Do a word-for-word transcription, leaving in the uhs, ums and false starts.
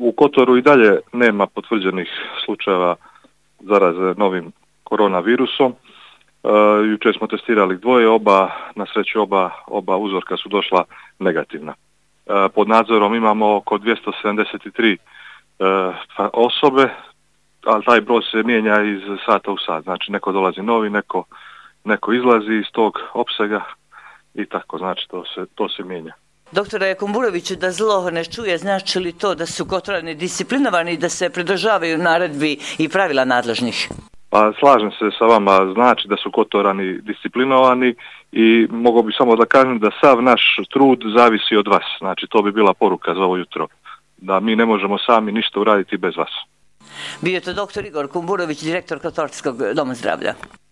U Kotoru i dalje nema potvrđenih slučajeva zaraze novim koronavirusom. Jučer smo testirali dvoje, oba, na sreću oba, oba uzorka su došla negativna. Pod nadzorom imamo oko dvjesto sedamdeset tri osobe, ali taj broj se mijenja iz sata u sat. Znači neko dolazi novi, neko, neko izlazi iz tog opsega i tako, znači to se, to se mijenja. Doktore Kumburoviću, da zlo ne čuje, znači li to da su Kotorani disciplinovani i da se pridržavaju naredbi i pravila nadležnih? Pa slažem se sa vama, znači da su Kotorani disciplinovani i mogu bi samo da kažem da sav naš trud zavisi od vas. Znači to bi bila poruka za ovo jutro, da mi ne možemo sami ništa uraditi bez vas. Bio je to doktor Igor Kumburović, direktor Kotorskog doma zdravlja.